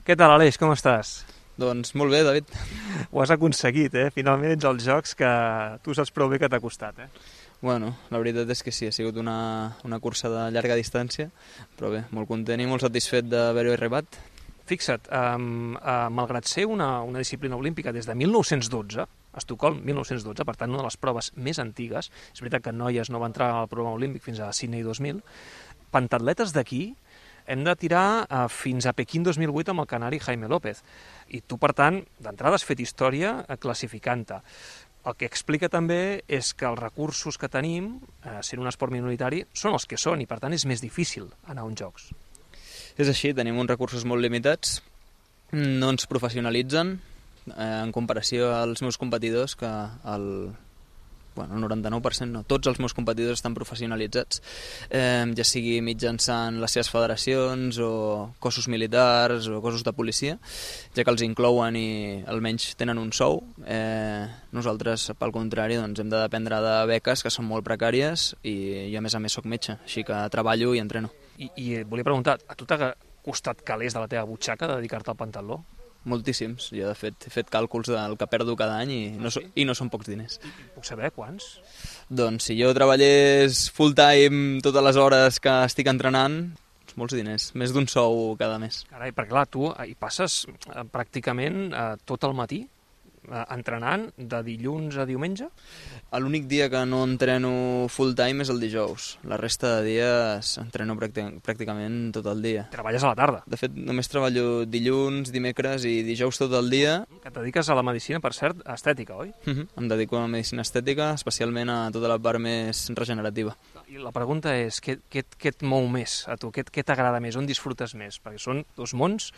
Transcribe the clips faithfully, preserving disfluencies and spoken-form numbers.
Què tal, Aleix, com estàs? Doncs molt bé, David. Ho has aconseguit, eh? Finalment ets als Jocs que tu saps prou bé que t'ha costat, eh? Bueno, la veritat és que sí, ha sigut una, una cursa de llarga distància, però bé, molt content i molt satisfet d'haver-ho arribat. Fixa't, um, uh, malgrat ser una, una disciplina olímpica des de mil nou-cents dotze, a Estocolm, mil nou-cents dotze, per tant, una de les proves més antigues, és veritat que noies no va entrar al programa olímpic fins a Sydney dos mil, pentatletes d'aquí hem de tirar uh, fins a Pequín dos mil vuit amb el canari Jaime López. I tu, per tant, d'entrada has fet història uh, classificant-te. El que explica també és que els recursos que tenim, uh, sent un esport minoritari, són els que són i, per tant, és més difícil anar a uns Jocs. És així, tenim uns recursos molt limitats, no ens professionalitzen eh, en comparació als meus competidors, que el, bueno, el noranta-nou per cent no, tots els meus competidors estan professionalitzats, eh, ja sigui mitjançant les seves federacions o cossos militars o cossos de policia, ja que els inclouen i almenys tenen un sou. Eh, nosaltres, pel contrari, doncs, hem de dependre de beques que són molt precàries i jo, a més a més, soc metge, així que treballo i entreno. I, i volia preguntar, a tu t'ha costat calés de la teva butxaca de dedicar-te al pentatló? Moltíssims. Jo, de fet, he fet càlculs del que perdo cada any i no, so, i no són pocs diners. Puc saber quants? Doncs si jo treballés full time totes les hores que estic entrenant, molts diners, més d'un sou cada mes. Carai, perquè clar, tu hi passes eh, pràcticament eh, tot el matí eh, entrenant de dilluns a diumenge? L'únic dia que no entreno full time és el dijous. La resta de dies entreno pràcticament tot el dia. Treballes a la tarda? De fet, només treballo dilluns, dimecres i dijous tot el dia. Que et dediques a la medicina, per cert, estètica, oi? Uh-huh. Em dedico a la medicina estètica, especialment a tota la part més regenerativa. I la pregunta és, què, què, què et mou més a tu? Què, què t'agrada més? On disfrutes més? Perquè són dos mons,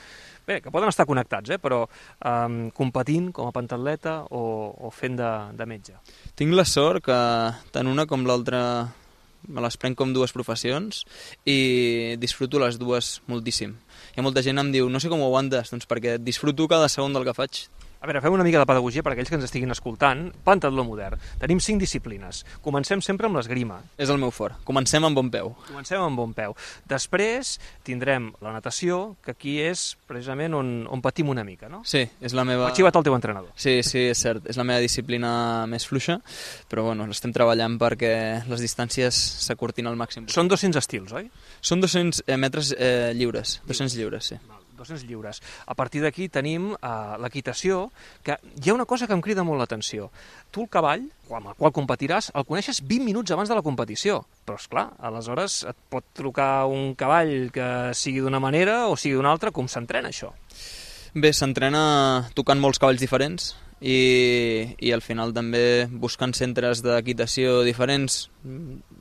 bé, que poden estar connectats, eh? Però um, competint com a pentatleta o, o fent de, de metge. Tinc la sort que tant una com l'altra me les prenc com dues professions i disfruto les dues moltíssim. Hi ha molta gent que em diu, no sé com ho aguantes, doncs perquè disfruto cada segon del que faig. A veure, fem una mica de pedagogia per a aquells que ens estiguin escoltant. Pentatló modern. Tenim cinc disciplines. Comencem sempre amb l'esgrima. És el meu fort. Comencem amb bon peu. Comencem amb bon peu. Després tindrem la natació, que aquí és precisament on, on patim una mica, no? Sí, és la meva... M'ha xivat el teu entrenador. Sí, sí, és cert. És la meva disciplina més fluixa, però bueno, l'estem treballant perquè les distàncies s'acurtin al màxim. Són dos-cents estils, oi? Són dos-cents metres eh, lliures. dos-cents lliures, sí. dos-cents lliures. A partir d'aquí tenim uh, l'equitació, que hi ha una cosa que em crida molt l'atenció. Tu el cavall, amb el qual competiràs, el coneixes vint minuts abans de la competició. Però, esclar, aleshores et pot trucar un cavall que sigui d'una manera o sigui d'una altra. Com s'entrena això? Bé, s'entrena tocant molts cavalls diferents i, i al final també buscant centres d'equitació diferents.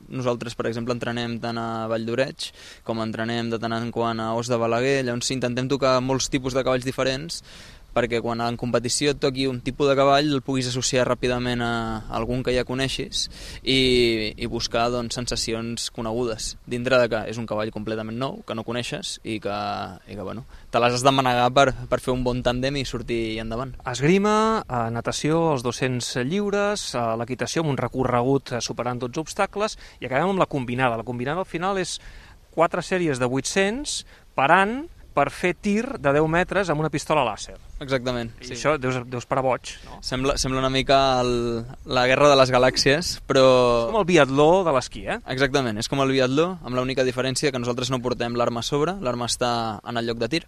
Nosaltres, per exemple, entrenem tant a Vall d'Oreig com entrenem de tant en quant a Os de Balaguer, llavors intentem tocar molts tipus de cavalls diferents perquè quan en competició et toqui un tipus de cavall el puguis associar ràpidament a algun que ja coneixis i, i buscar doncs, sensacions conegudes, dintre de que és un cavall completament nou, que no coneixes i que, i que bueno, te les has de manegar per, per fer un bon tàndem i sortir endavant. Esgrima, eh, natació, els dos-cents lliures, eh, l'equitació amb un recorregut eh, superant dotze obstacles i acabem amb la combinada. La combinada al final és quatre sèries de vuit-cents parant per fer tir de deu metres amb una pistola làser. Exactament. I sí. això deus, deus parar boig, no? Sembla, sembla una mica el, la guerra de les galàxies, però... És com el biatló de l'esquí, eh? Exactament, és com el biatló, amb l'única diferència que nosaltres no portem l'arma a sobre, l'arma està en el lloc de tir,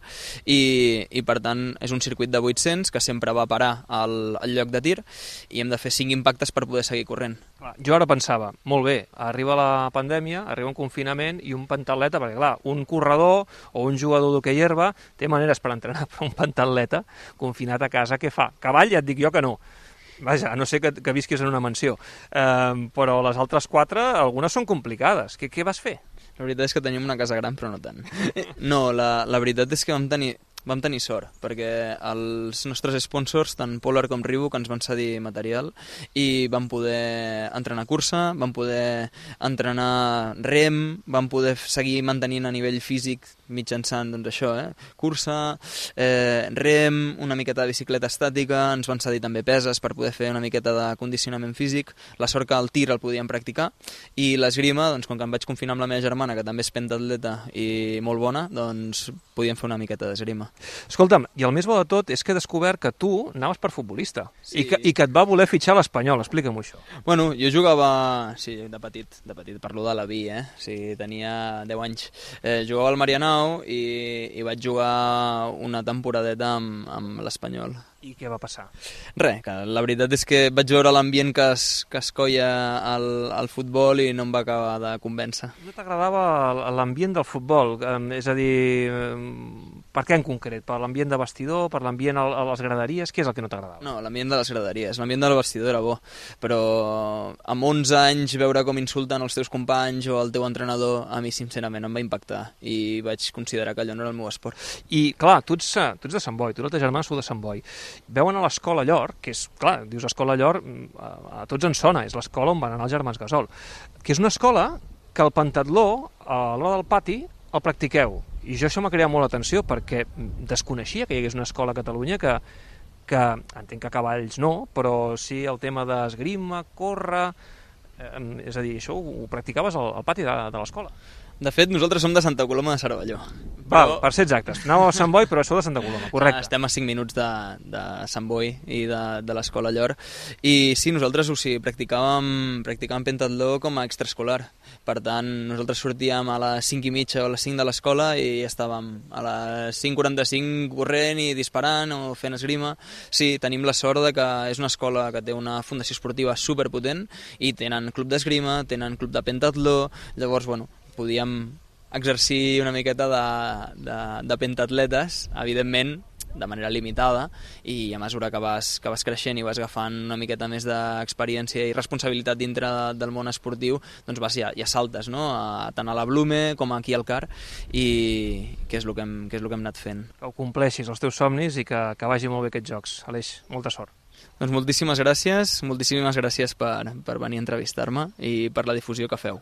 i, i per tant és un circuit de vuit-cents que sempre va parar al, al lloc de tir i hem de fer cinc impactes per poder seguir corrent. Clar, jo ara pensava, molt bé, arriba la pandèmia, arriba un confinament i un pentatleta, perquè clar, un corredor o un jugador d'hoquei herba té maneres per entrenar, però un pentatleta confinat a casa, què fa? Cavall ja et dic jo que no. Vaja, a no ser que, que visquis en una mansió. Eh, però les altres quatre, algunes són complicades. Què, què vas fer? La veritat és que tenim una casa gran, però no tant. No, la, la veritat és que vam tenir... Vam tenir sort, perquè els nostres sponsors, tant Polar com Reebok, ens van cedir material i vam poder entrenar cursa, vam poder entrenar rem, vam poder seguir mantenint a nivell físic mitjançant doncs, això, eh? cursa, eh, rem, una miqueta de bicicleta estàtica, ens van cedir també peses per poder fer una miqueta de condicionament físic, la sort que el tir el podíem practicar, i l'esgrima, doncs, com que em vaig confinar amb la meva germana, que també és pentatleta i molt bona, doncs podíem fer una miqueta d'esgrima. Escolta'm, i el més bo de tot és que he descobert que tu anaves per futbolista Sí. i, que, i que et va voler fitxar a l'Espanyol. Explica'm això. Bueno, jo jugava, sí, de petit, de petit, parlo de la vi, eh? O sigui, tenia deu anys. Eh, jugava al Marianao i, i vaig jugar una temporadeta amb, amb l'Espanyol. I què va passar? Res, que la veritat és que vaig veure l'ambient que es, que es coia al, al futbol i no em va acabar de convèncer. No t'agradava l'ambient del futbol? Eh, és a dir, eh, per què en concret? Per l'ambient de vestidor? Per l'ambient a, a les graderies? Què és el que no t'agradava? No, l'ambient de les graderies, l'ambient del vestidor era bo, però amb onze anys veure com insulten els teus companys o el teu entrenador, a mi sincerament em va impactar i vaig considerar que allò no era el meu esport. I, clar, tu ets, tu ets de Sant Boi, tu i la teva germana sou de Sant Boi. Veuen a l'escola Llor, que és, clar, dius escola Llor, a, a tots ens sona, és l'escola on van anar els germans Gasol, que és una escola que el pentatló, a l'hora del pati, el practiqueu. I jo això m'ha creat molt l'atenció perquè desconeixia que hi hagués una escola a Catalunya que, que entenc que a cavalls no, però sí el tema d'esgrima, córrer... Eh, és a dir, això ho, ho practicaves al, al pati de, de l'escola. De fet, nosaltres som de Santa Coloma de Cervelló. Val, per ser exactes. Anàveu a Sant Boi, però sou de Santa Coloma, correcte. Estem a cinc minuts de, de Sant Boi i de, de l'escola Llor. I sí, nosaltres o sigui, practicàvem, practicàvem pentatló com a extraescolar. Per tant, nosaltres sortíem a les cinc i mitja o a les cinc de l'escola i estàvem a les cinc quaranta-cinc corrent i disparant o fent esgrima. Sí, tenim la sort de que és una escola que té una fundació esportiva superpotent i tenen club d'esgrima, tenen club de pentatló, llavors, bueno, podíem exercir una miqueta de, de, de pentatletes, evidentment de manera limitada, i a mesura que vas, que vas creixent i vas agafant una miqueta més d'experiència i responsabilitat dintre de, del món esportiu, doncs vas, ja, ja saltes, no? A, tant a la Blume com aquí al Car, i que és el que hem, que és el que hem anat fent. Que ho compleixis, els teus somnis, i que, que vagi molt bé aquests jocs. Aleix, molta sort. Doncs moltíssimes gràcies, moltíssimes gràcies per, per venir a entrevistar-me i per la difusió que feu.